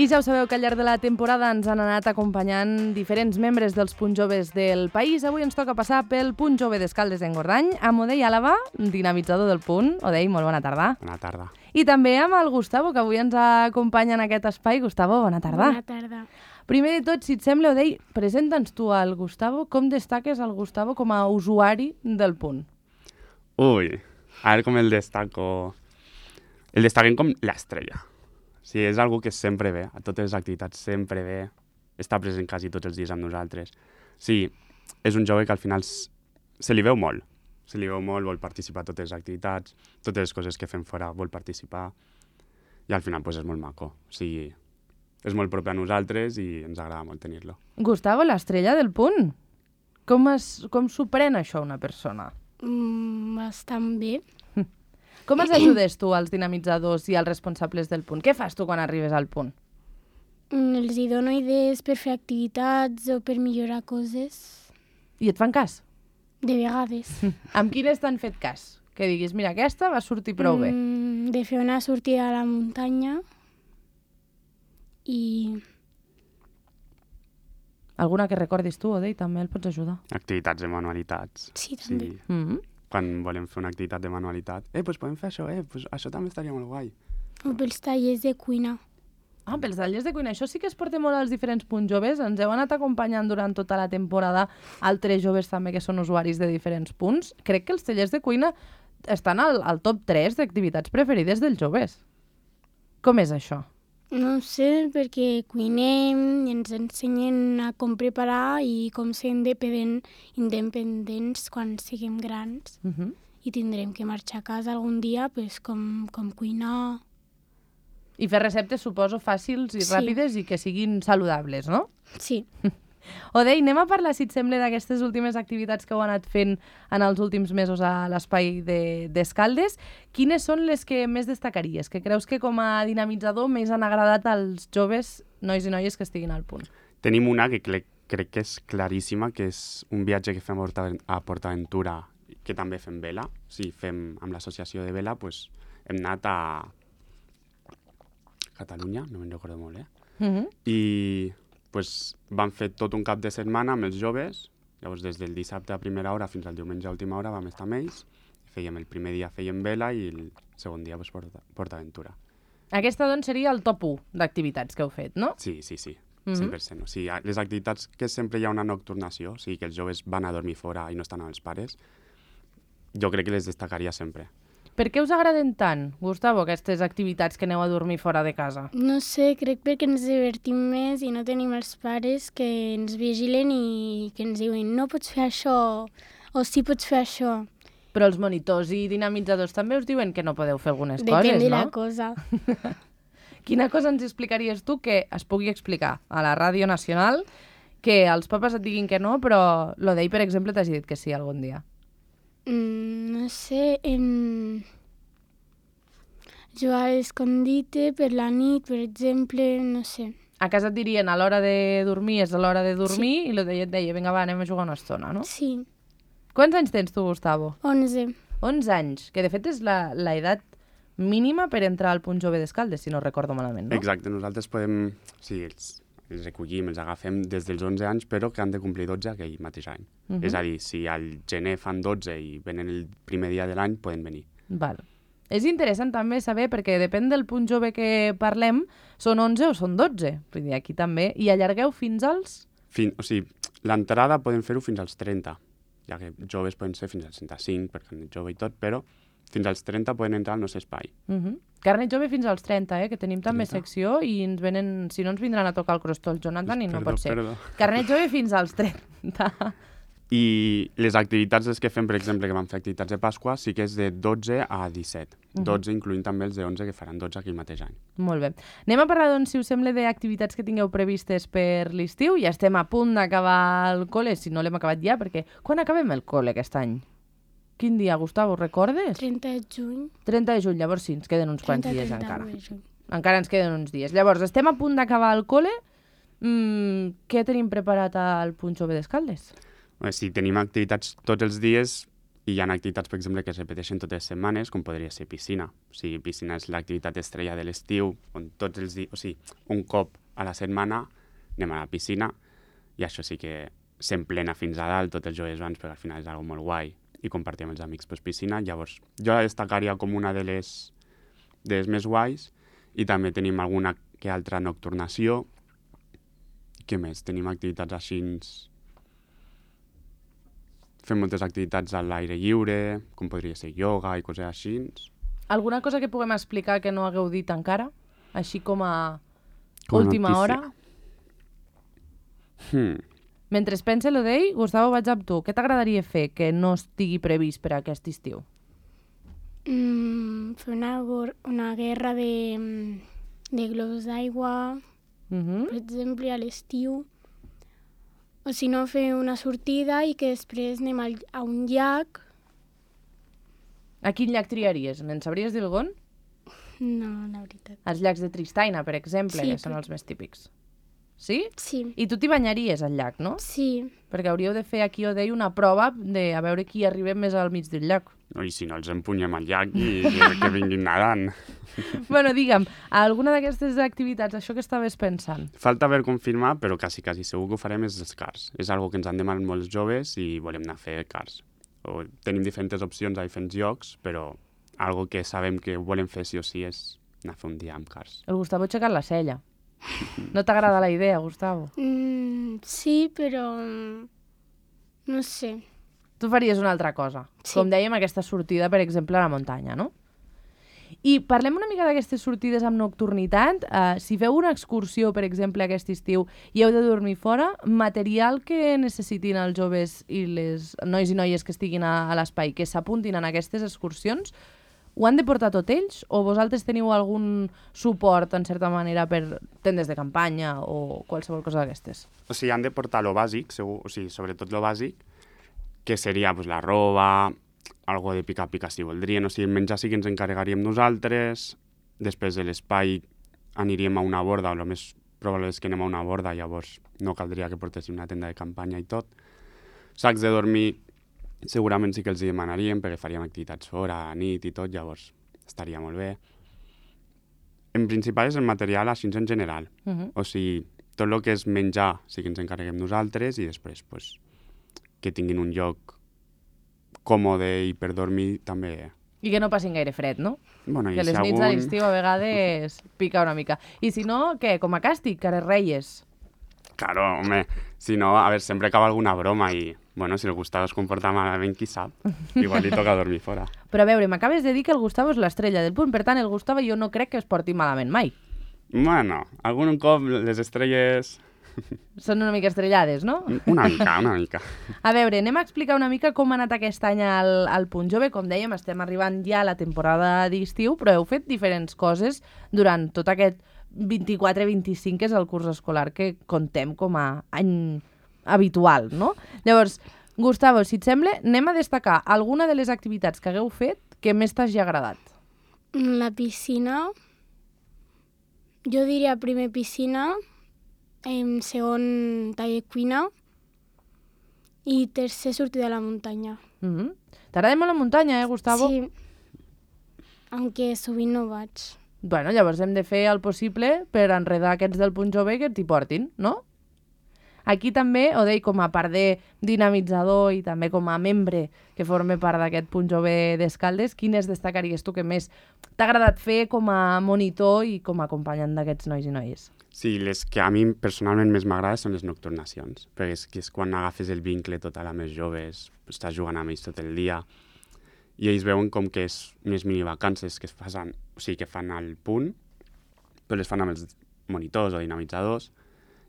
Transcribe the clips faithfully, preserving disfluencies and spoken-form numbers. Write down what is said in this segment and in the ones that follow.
I ja ho sabeu que al llarg de la temporada ens han anat acompanyant diferents membres dels punts joves del país. Avui ens toca passar pel punt jove d'Escaldes d'Engordany, amb Odei Àlava, dinamitzador del punt. Odei, molt bona tarda. Bona tarda. I també amb el Gustavo, que avui ens acompanya en aquest espai. Gustavo, bona tarda. Bona tarda. Primer de tot, si et sembla, Odei, presenta'ns tu al Gustavo. Com destaques el Gustavo com a usuari del punt? Ui, a veure com el destaco... El destaquem com l'estrella. Sí, és algo que sempre ve, a totes les activitats sempre ve, està present quasi tots els dies amb nosaltres. Sí, és un jove que al final se li veu molt, se li veu molt, vol participar a totes les activitats, totes les coses que fem fora vol participar, i al final pues, és molt maco. O sigui, és molt proper a nosaltres i ens agrada molt tenir-lo. Gustavo, l'estrella del punt. Com, es, com s'ho pren això una persona? Mm, bastant bé. Com els ajudes tu als dinamitzadors i als responsables del punt? Què fas tu quan arribes al punt? Mm, els hi dono idees per fer activitats o per millorar coses. I et fan cas? De vegades. Amb quines t'han fet cas? Que diguis, mira, aquesta va sortir prou bé. Mm, de fer una sortida a la muntanya i... Alguna que recordis tu, Odei, també el pots ajudar. Activitats de manualitats. Sí, també. Sí. Mm-hmm. Quan volem fer una activitat de manualitat, eh, doncs podem fer això, eh, doncs això també estaria molt guai. O pels tallers de cuina. Ah, pels tallers de cuina. Això sí que es porta molt als diferents punts joves. Ens heu anat acompanyant durant tota la temporada altres joves també que són usuaris de diferents punts. Crec que els tallers de cuina estan al, al top tres d'activitats preferides dels joves. Com és això? No ho sé, perquè cuinem i ens ensenyen a com preparar i com ser independent, independents quan siguem grans. Uh-huh. I tindrem que marxar a casa algun dia pues, com, com cuinar. I fer receptes, suposo, fàcils i Sí. ràpides i que siguin saludables, no? Sí. Odei, anem a parlar, si et sembla, d'aquestes últimes activitats que heu anat fent en els últims mesos a l'espai d'Escaldes. De, Quines són les que més destacaries? Que creus que com a dinamitzador més han agradat als joves, nois i noies que estiguin al punt? Tenim una que crec, crec que és claríssima, que és un viatge que fem a Porta- a PortAventura, que també fem vela. Sí, fem amb l'associació de vela, pues, hem anat a Catalunya, no me'n recordo molt, eh? Uh-huh. I pues, vam fer tot un cap de setmana amb els joves. Llavors, des del dissabte a primera hora fins al diumenge a última hora vam estar amb ells. Fèiem el primer dia fèiem vela i el segon dia pues, Porta, PortAventura. Aquesta, doncs, seria el top u d'activitats que heu fet, no? Sí, sí, sí, Mhm. cent per cent. O sigui, les activitats que sempre hi ha una nocturnació, o sigui, que els joves van a dormir fora i no estan amb els pares, jo crec que les destacaria sempre. Per què us agraden tant, Gustavo, aquestes activitats que aneu a dormir fora de casa? No sé, crec perquè ens divertim més i no tenim els pares que ens vigilen i que ens diuen no pots fer això o sí pots fer això. Però els monitors i dinamitzadors també us diuen que no podeu fer algunes Depèn coses, de no? la cosa. Quina cosa ens explicaries tu que es pugui explicar a la Ràdio Nacional que els papes et diguin que no, però l'Odei, per exemple, t'hagi dit que sí algun dia? Mm, no sé, em... jugar a l'escondite per la nit, per exemple, no sé. A casa et dirien a l'hora de dormir és a l'hora de dormir i l'Odei et deia, vinga, va, anem a jugar una estona, no? Sí, Quants anys tens tu, Gustavo? onze. onze anys, que de fet és la, la edat mínima per entrar al punt jove d'Escaldes, si no recordo malament, no? Exacte, nosaltres podem... Sí, els, els recollim, els agafem des dels onze anys, però que han de complir dotze aquell mateix any. Mhm. És a dir, si al gener fan dotze i venen el primer dia de l'any, poden venir. Val. És interessant també saber, perquè depèn del punt jove que parlem, són onze o són dotze. Vull dir, aquí també. I allargueu fins als... Fin, o sigui, l'entrada podem fer-ho fins als trenta, ja que joves poden ser fins als trenta-cinc, perquè han jove i tot, però fins als trenta poden entrar al nostre espai. Uh -huh. Carnet jove fins als trenta, eh? Que tenim també trenta. secció i ens venen, si no ens vindran a tocar el crostó el Jonathan i no Perdó, pot ser. perdó. Carnet jove fins als trenta. I les activitats les que fem, per exemple, que vam fer activitats de Pasqua, sí que és de dotze a disset. Mhm. dotze incloent també els de onze, que faran dotze aquell mateix any. Molt bé. Anem a parlar, doncs, si us sembla, d'activitats que tingueu previstes per l'estiu. Ja estem a punt d'acabar el col·le, si no l'hem acabat ja, perquè quan acabem el col·le aquest any? Quin dia, Gustavo, recordes? trenta de juny. trenta de juny, llavors sí, ens queden uns quants trenta, dies trenta encara. de juny. Encara ens queden uns dies. Llavors, estem a punt d'acabar el col·le. Mm, què tenim preparat al punt jove d'Escaldes? Bé, si tenim activitats tots els dies, I hi ha activitats, per exemple, que es repeteixen totes les setmanes, com podria ser piscina. O sigui, piscina és l'activitat estrella de l'estiu, on tots els dies, o sigui, un cop a la setmana anem a la piscina, i això sí que s'emplena fins a dalt, tots els joves van, perquè al final és algo molt guai, i compartir amb els amics pues, piscina. Llavors, jo la destacaria com una de les, de les més guais, i també tenim alguna que altra nocturnació. Què més? Tenim activitats així... Fem moltes activitats a l'aire lliure, com podria ser ioga i coses així. Alguna cosa que puguem explicar que no hagueu dit encara? Així com a Com a última notícia. hora? Hmm. Mentre es pensa l'Odei, Gustavo, vaig amb tu. Què t'agradaria fer que no estigui previst per a aquest estiu? Mm, fer una, gor- una guerra de, de globus d'aigua, Mhm. per exemple, a l'estiu. O si no, fer una sortida i que després anem al, a un llac. A quin llac triaries? Ens sabries dir algun? No, la veritat. Els llacs de Tristaina, per exemple, Sí, que són però- els més típics. Sí? Sí, I tu t'hi banyaries al llac, no? sí. Perquè hauríeu de fer aquí, Odei, una prova de a veure qui arriba més al mig del llac. No, I si no, els empunyem al llac i que, que vinguin nedant. Bueno, digue'm, alguna d'aquestes activitats, això que estaves pensant? Falta per confirmar, però quasi, quasi segur que ho farem és els cars. És algo que ens han demanat molts joves i volem anar a fer cars. O tenim diferents opcions a diferents llocs, però algo que sabem que volem fer sí o sí és anar a fer un dia amb cars. El Gustavo ha aixecat la cella. No t'agrada la idea, Gustavo? Mm, sí, però... mm, no sé. Tu faries una altra cosa. Sí. Com dèiem, aquesta sortida, per exemple, a la muntanya, no? I parlem una mica d'aquestes sortides amb nocturnitat. Uh, si feu una excursió, per exemple, aquest estiu, i heu de dormir fora, material que necessitin els joves i les nois i noies que estiguin a, a l'espai, que s'apuntin en aquestes excursions, ho han de portar tot ells? O vosaltres teniu algun suport, en certa manera, per tendes de campanya o qualsevol cosa d'aquestes? O sigui, han de portar lo bàsic, segur, o sigui, sobretot lo bàsic, que seria pues, la roba, algo de pica-pica si voldrien, o sigui, el menjar sí que ens encarregaríem nosaltres, després de l'espai aniríem a una borda, o el més probable és que anem a una borda, llavors no caldria que portéssim una tenda de campanya i tot. Sacs de dormir segurament sí que els hi demanaríem, perquè faríem activitats fora, a nit i tot, llavors estaria molt bé. En principal és el material així en general, Uh -huh. o sigui, tot el que és menjar sí que ens encarreguem nosaltres i després pues, que tinguin un lloc còmode i per dormir també... I que no passin gaire fred, no? Bueno, i Que si les nits algun... a l'estiu a vegades pica una mica. I si no, què? Com a càstig, cares reies. Claro, home, si no, a veure, sempre acaba alguna broma i, bueno, si el Gustavo es comporta malament, qui sap? Igual li toca dormir fora. Però a veure, m'acabes de dir que el Gustavo és l'estrella del punt, per tant, el Gustavo jo no crec que es porti malament mai. Bueno, algun cop les estrelles... Són una mica estrellades, no? Una mica, una mica. A veure, anem a explicar una mica com ha anat aquest any al, al Punt Jove. Com dèiem, estem arribant ja a la temporada d'estiu, però heu fet diferents coses durant tot aquest vint-i-quatre vint-i-cinc, que és el curs escolar que contem com a any habitual, no? Llavors, Gustavo, si et sembla, anem a destacar alguna de les activitats que hagueu fet que més t'hagi agradat. La piscina, jo diria primer piscina, en segon tall de cuina i tercer sortir de la muntanya. Mm -hmm. T'agrada molt la muntanya, eh, Gustavo? Sí, aunque sovint no vaig. Bueno, llavors hem de fer el possible per enredar aquests del Punt Jove que t'hi portin, no? Aquí també, Odei, com a part de dinamitzador i també com a membre que forma part d'aquest Punt Jove d'Escaldes, quines destacaries tu que més t'ha agradat fer com a monitor i com a acompanyant d'aquests nois i noies? Sí, les que a mi personalment més m'agrada són les nocturnacions, perquè és, que és quan agafes el vincle total amb els joves, estàs jugant amb ells tot el dia, i ells veuen com que és unes minivacances que es fan, o sigui, que fan al punt, però les fan amb els monitors o dinamitzadors.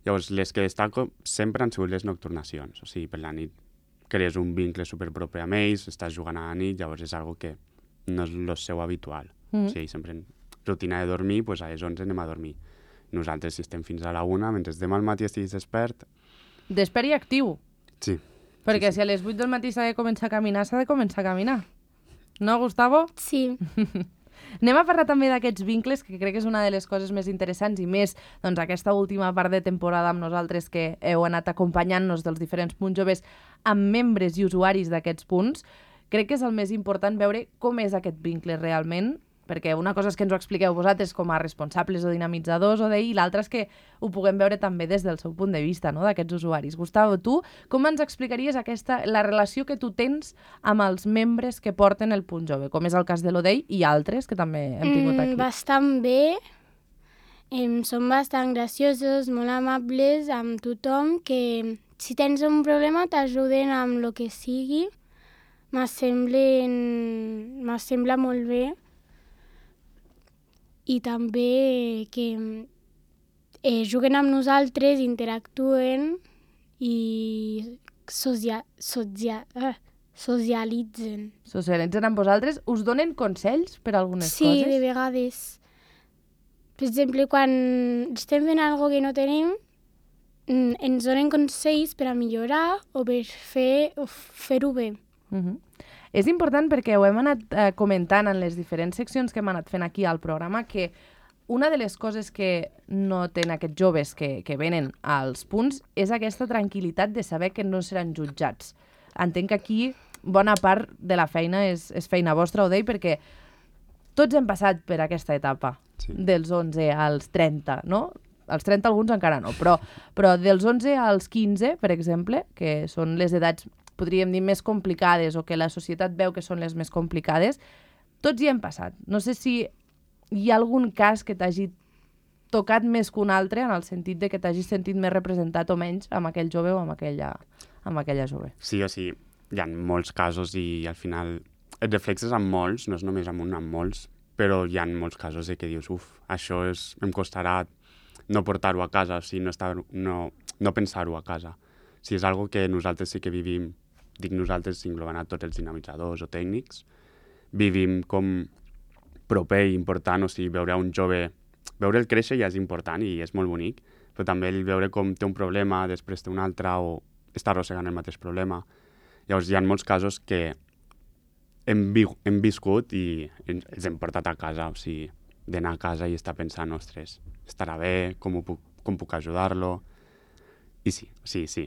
Llavors, les que destaco sempre han sigut les nocturnacions, o sigui, per la nit crees un vincle superpropi amb ells, estàs jugant a la nit, llavors és algo que no és el seu habitual. Mm-hmm. O sigui, sempre en rutina de dormir, doncs a les onze anem a dormir. Nosaltres, si estem fins a la una, mentre demà al matí estiguis despert... Despert i actiu. Sí. Perquè sí, sí. si a les vuit del matí s'ha de començar a caminar, s'ha de començar a caminar. No, Gustavo? Sí. Anem a parlar també d'aquests vincles, que crec que és una de les coses més interessants i més doncs, aquesta última part de temporada amb nosaltres que heu anat acompanyant-nos dels diferents punts joves amb membres i usuaris d'aquests punts. crec que és el més important veure com és aquest vincle realment, perquè una cosa és que ens ho expliqueu vosaltres com a responsables o dinamitzadors o d'ell, i l'altra és que ho puguem veure també des del seu punt de vista, no?, d'aquests usuaris. Gustavo, tu com ens explicaries aquesta, la relació que tu tens amb els membres que porten el Punt Jove, com és el cas de l'Odei i altres que també hem tingut aquí? Mm, bastant bé. Em, són bastant graciosos, molt amables amb tothom, que si tens un problema t'ajuden amb el que sigui. M'assemblen... M'assembla molt bé. I també que eh, juguen amb nosaltres, interactuen i socia socia uh, socialitzen. Socialitzen amb vosaltres? Us donen consells per algunes sí, coses? Sí, de vegades. Per exemple, quan estem fent alguna cosa que no tenim, ens donen consells per a millorar o per fer, o fer-ho bé. Uh-huh. És important perquè ho hem anat eh, comentant en les diferents seccions que hem anat fent aquí al programa, que una de les coses que no tenen aquests joves que, que venen als punts és aquesta tranquil·litat de saber que no seran jutjats. Entenc que aquí bona part de la feina és, és feina vostra, ho deia, perquè tots hem passat per aquesta etapa, sí, dels onze als trenta, no? Als trenta alguns encara no, però, però dels onze als quinze, per exemple, que són les edats, podríem dir, més complicades o que la societat veu que són les més complicades, tots hi hem passat. No sé si hi ha algun cas que t'hagi tocat més que un altre, en el sentit de que t'hagis sentit més representat o menys amb aquell jove o amb aquella, amb aquella jove. Sí, o sigui, hi ha molts casos i al final et reflexes amb molts, no és només amb un, amb molts, però hi ha molts casos de que dius, uf, això és, em costarà no portar-ho a casa, o sigui, no, estar, no, no pensar-ho a casa. O sigui, és algo que nosaltres sí que vivim, dic nosaltres englobant a tots els dinamitzadors o tècnics, vivim com proper i important, o sigui, veure un jove, veure el créixer ja és important i és molt bonic, però també el veure com té un problema, després té un altre o està arrossegant el mateix problema. Llavors hi ha molts casos que hem, vi hem viscut i els hem portat a casa, o sigui, d'anar a casa i estar pensant, ostres, estarà bé, com, ho puc, com puc ajudar-lo? I sí, sí, sí.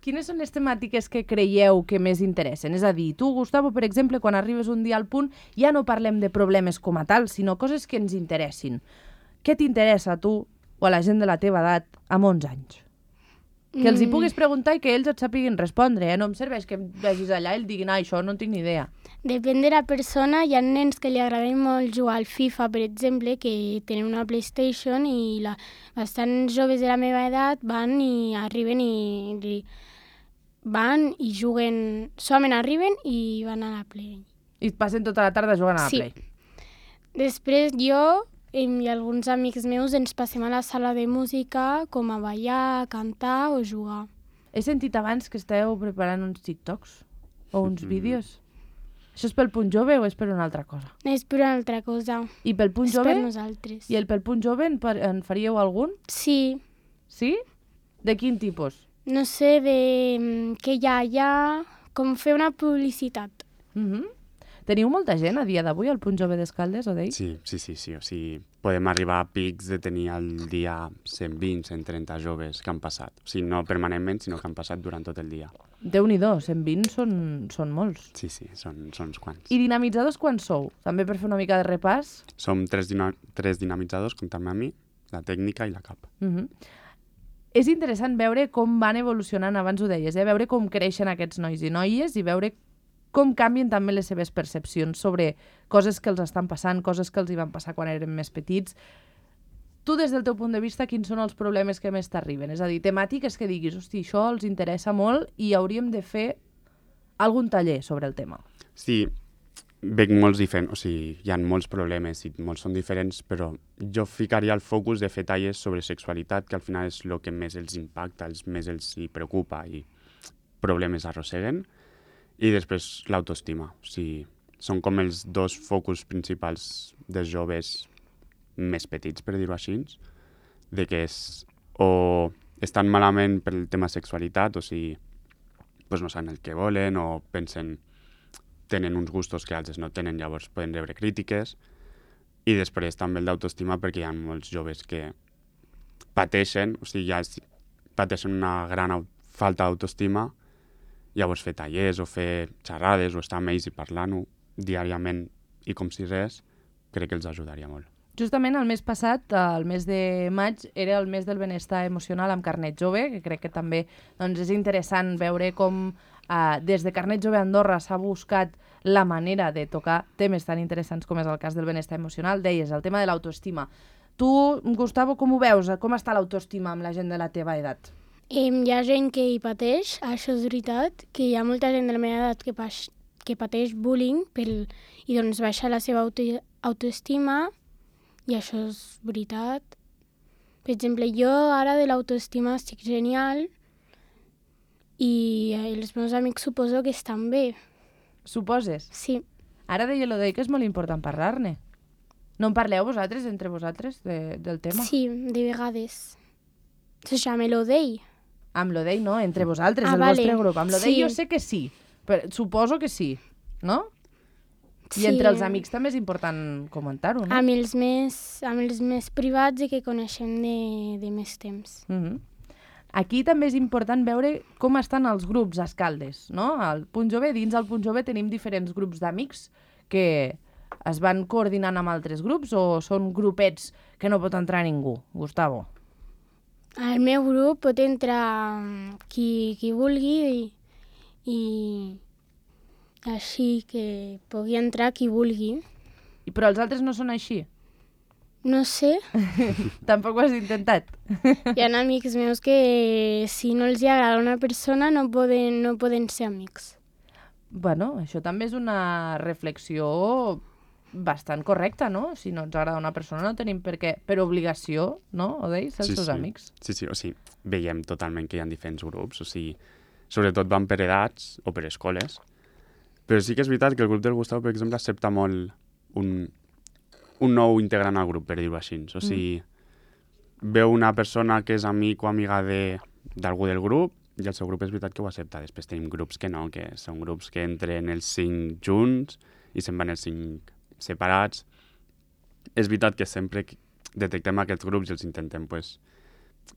Quines són les temàtiques que creieu que més interessen? És a dir, tu, Gustavo, per exemple, quan arribes un dia al punt, ja no parlem de problemes com a tal, sinó coses que ens interessin. Què t'interessa a tu o a la gent de la teva edat amb onze anys? Que els hi puguis preguntar i que ells et sàpiguin respondre, eh? No em serveix que em vegis allà i el diguin, ah, això no en tinc ni idea. Depèn de la persona. Hi ha nens que li agraden molt jugar al FIFA, per exemple, que tenen una PlayStation i la... bastants joves de la meva edat van i arriben i... i van i juguen... Solament arriben i van a la Play. I passen tota la tarda jugant a la sí. Play. Després jo i alguns amics meus ens passem a la sala de música com a ballar, a cantar o jugar. He sentit abans que esteu preparant uns TikToks o uns mm. vídeos. Això és pel Punt Jove o és per una altra cosa? És per una altra cosa. I pel Punt és Jove? Per nosaltres. I el pel Punt Jove en, en faríeu algun? Sí. Sí? De quin tipus? No sé, de què hi ha allà, com fer una publicitat. Mm-hmm. Teniu molta gent a dia d'avui al Punt Jove d'Escaldes, o deia? Sí, sí, sí, sí. O sigui, podem arribar a pics de tenir al dia cent vint, cent trenta joves que han passat. O sigui, no permanentment, sinó que han passat durant tot el dia. Déu-n'hi-do, cent vint són, són molts. Sí, sí, són, són uns quants. I dinamitzadors quan sou? També per fer una mica de repàs? Som tres, dina tres dinamitzadors, comptant-me a mi, la tècnica i la cap. Mm-hmm. És interessant veure com van evolucionant, abans ho deies, eh? Veure com creixen aquests nois i noies i veure com canvien també les seves percepcions sobre coses que els estan passant, coses que els hi van passar quan eren més petits. Tu, des del teu punt de vista, quins són els problemes que més t'arriben? És a dir, temàtiques que diguis, hosti, això els interessa molt i hauríem de fer algun taller sobre el tema. Sí, veig molts diferents, o sigui, hi ha molts problemes i molts són diferents, però jo ficaria el focus de fer tallers sobre sexualitat, que al final és el que més els impacta, els més els hi preocupa i problemes arrosseguen. I després l'autoestima. O sigui, són com els dos focus principals dels joves més petits, per dir-ho així, de que és, o estan malament pel tema sexualitat, o sigui, pues no saben el que volen, o pensen, tenen uns gustos que altres no tenen, llavors poden rebre crítiques. I després també el d'autoestima, perquè hi ha molts joves que pateixen, o sigui, ja pateixen una gran falta d'autoestima, Llavors fer tallers o fer xerrades o estar amb ells i parlant-ho diàriament i com si res, crec que els ajudaria molt. Justament el mes passat, el mes de maig, era el mes del benestar emocional amb Carnet Jove, que crec que també doncs, és interessant veure com eh, des de Carnet Jove Andorra s'ha buscat la manera de tocar temes tan interessants com és el cas del benestar emocional. Deies, el tema de l'autoestima. Tu, Gustavo, com ho veus? Com està l'autoestima amb la gent de la teva edat? Eh, hi ha gent que hi pateix, això és veritat, que hi ha molta gent de la meva edat que, pa que pateix bullying pel, i doncs baixa la seva auto autoestima, i això és veritat. Per exemple, jo ara de l'autoestima estic genial i els meus amics suposo que estan bé. Suposes? Sí. Ara deia l'Odei que és molt important parlar-ne. No en parleu vosaltres, entre vosaltres, de, del tema? Sí, de vegades. Se llama l'Odei. Amb l'Odei no, entre vosaltres, ah, el vale. vostre grup. Amb l'Odei sí. jo sé que sí, però suposo que sí, no? I Sí. entre els amics també és important comentar-ho, no? Amb els més, amb els més privats i que coneixem de, de més temps. Mm -hmm. Aquí també és important veure com estan els grups a Escaldes, no? Al Punt Jove, dins del Punt Jove tenim diferents grups d'amics que es van coordinant amb altres grups o són grupets que no pot entrar ningú? Gustavo. Al meu grup pot entrar qui, qui vulgui i, i així que pugui entrar qui vulgui. I, però els altres no són així? No sé. Tampoc ho has intentat? Hi ha amics meus que si no els agrada una persona no poden, no poden ser amics. Bueno, això també és una reflexió bastant correcta, no? Si no ens agrada una persona no tenim per què, per obligació, no? Odei, ser els sí, seus sí. amics. Sí, sí, o sigui, veiem totalment que hi ha diferents grups, o sigui, sobretot van per edats o per escoles, però sí que és veritat que el grup del Gustavo, per exemple, accepta molt un, un nou integrant al grup, per dir-ho així. O sigui, mm. veu una persona que és amic o amiga d'algú de, del grup i el seu grup és veritat que ho accepta. Després tenim grups que no, que són grups que entren els cinc junts i se'n van els cinc separats. És veritat que sempre detectem aquests grups i els intentem, pues,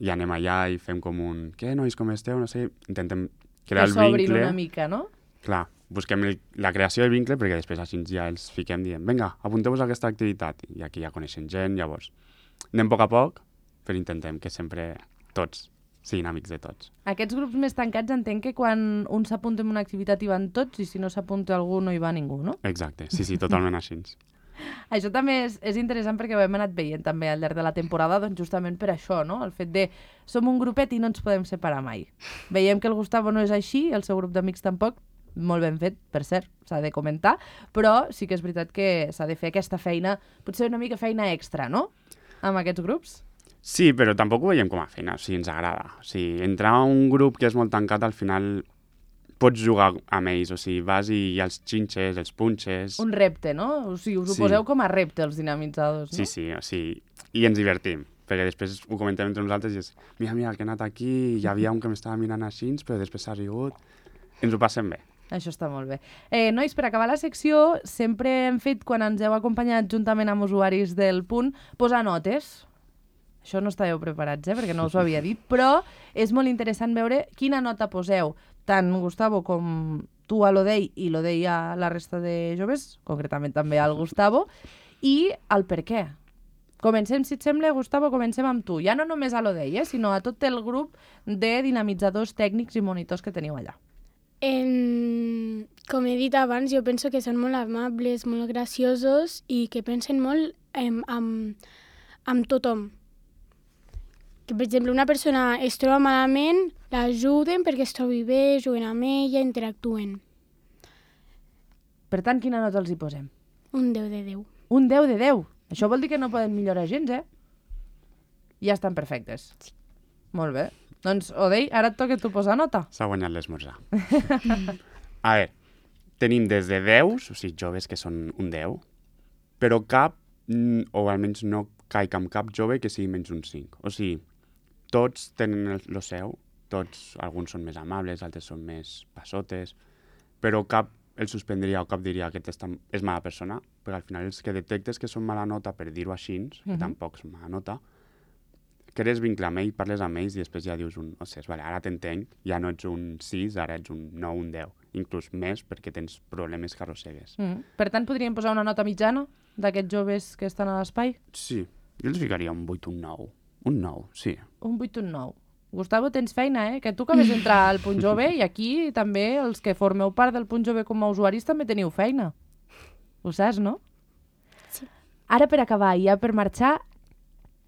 i anem allà i fem com un què, nois, com esteu? No sé, intentem crear que el vincle. Que s'obrin una mica, no? Clar, busquem el, la creació del vincle perquè després així ja els fiquem dient vinga, apunteu-vos a aquesta activitat i aquí ja coneixen gent, llavors anem a poc a poc, però intentem que sempre tots siguin amics de tots. Aquests grups més tancats entenc que quan un s'apunta en una activitat hi van tots i si no s'apunta algú no hi va ningú, no? Exacte, sí, sí, totalment així. Això també és, és interessant perquè ho hem anat veient també al llarg de la temporada, doncs justament per això, no? El fet de som un grupet i no ens podem separar mai. Veiem que el Gustavo no és així, el seu grup d'amics tampoc, molt ben fet, per cert, s'ha de comentar, però sí que és veritat que s'ha de fer aquesta feina, potser una mica feina extra, no?, amb aquests grups. Sí, però tampoc ho veiem com a feina, o sigui, ens agrada. O sigui, entrar a un grup que és molt tancat, al final pots jugar amb ells, o sigui, vas i hi ha els xinxes, els punxes... Un repte, no? O sigui, us ho sí. poseu com a repte, els dinamitzadors, no? Sí, sí, o sigui, i ens divertim, perquè després ho comentem entre nosaltres i és mira, mira, que he anat aquí, hi havia un que m'estava mirant així, però després s'ha rigut... Ens ho passem bé. Això està molt bé. Eh, nois, per acabar la secció, sempre hem fet, quan ens heu acompanyat juntament amb usuaris del Punt, posar notes. Això no estàveu preparats, eh, perquè no us ho havia dit, però és molt interessant veure quina nota poseu, tant Gustavo com tu a l'Odei i l'Odei a la resta de joves, concretament també al Gustavo, i el per què. Comencem, si et sembla, Gustavo, comencem amb tu. Ja no només a l'Odei, eh, sinó a tot el grup de dinamitzadors tècnics i monitors que teniu allà. En... Com he dit abans, jo penso que són molt amables, molt graciosos i que pensen molt en, en, en tothom. Que, per exemple, una persona es troba malament, l'ajuden perquè es trobi bé, juguen amb ella, interactuen. Per tant, quina nota els hi posem? Un deu de deu. Un deu de deu. Això vol dir que no poden millorar gens, eh? Ja estan perfectes. Sí. Molt bé. Doncs, Odei, ara et toca tu posar nota. S'ha guanyat l'esmorzar. A veure, tenim des de deus, o sigui, joves que són un deu, però cap, o almenys no caic amb cap jove que sigui menys un cinc. O sigui, tots tenen el, el seu, tots, alguns són més amables, altres són més passotes, però cap el suspendria o cap diria que aquesta és mala persona, perquè al final els que detectes que són mala nota, per dir-ho així, uh-huh. que tampoc són mala nota, crees vincle amb ell, parles amb ells i després ja dius un, ostres, vale, ara t'entenc, ja no ets un sis, ara ets un nou, un deu, inclús més perquè tens problemes que arrossegues. Mm. Per tant, podríem posar una nota mitjana d'aquests joves que estan a l'espai? Sí, jo els ficaria un vuit, un nou. Un nou, sí. Un vuit, un nou. Gustavo, tens feina, eh? Que tu acabes d'entrar al Punt Jove i aquí també els que formeu part del Punt Jove com a usuaris també teniu feina. Ho saps, no? Sí. Ara, per acabar, i ja per marxar,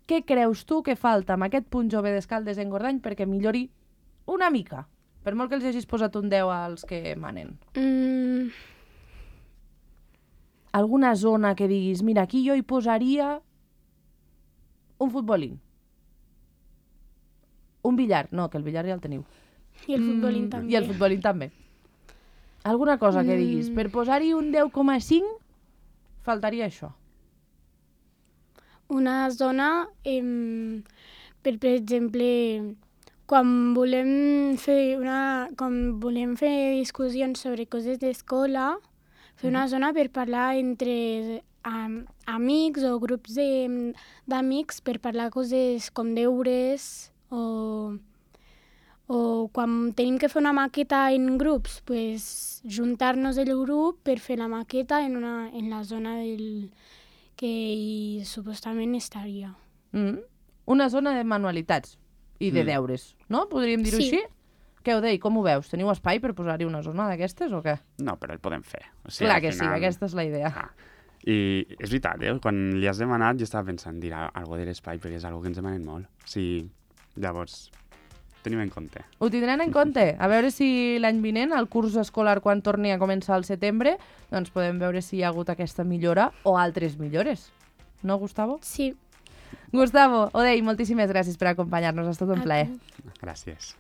què creus tu que falta amb aquest Punt Jove d'Escaldes en Gordany perquè millori una mica? Per molt que els hagis posat un deu als que manen. Mm, Alguna zona que diguis, mira, aquí jo hi posaria un futbolín. Un billar. No, que el billar ja el teniu. I el futbolín Mm, també. I el futbolín també. Alguna cosa que diguis, Mm. per posar-hi un deu coma cinc, faltaria això. Una zona, em, per, per exemple, quan volem fer una, quan volem fer discussions sobre coses d'escola, fer una zona per parlar entre am, amics o grups de- d'amics per parlar coses com deures o, o quan tenim que fer una maqueta en grups, pues, juntar-nos el grup per fer la maqueta en, una, en la zona del que hi supostament estaria. Mm. Una zona de manualitats i de Mm. deures, no? Podríem dir-ho Sí. així? Què ho deia? Com ho veus? Teniu espai per posar-hi una zona d'aquestes o què? No, però el podem fer. O sigui, Clar al que sí, final- aquesta és la idea. Ah. I és veritat, eh? Quan li has demanat jo estava pensant dir alguna de l'espai perquè és una que ens demanen molt. O sigui, llavors, tenim en compte. Ho tindran en compte. A veure si l'any vinent, el curs escolar, quan torni a començar al setembre, doncs podem veure si hi ha hagut aquesta millora o altres millores. No, Gustavo? Sí. Gustavo, Odei, moltíssimes gràcies per acompanyar-nos. Ha estat un A plaer. tu. Gràcies.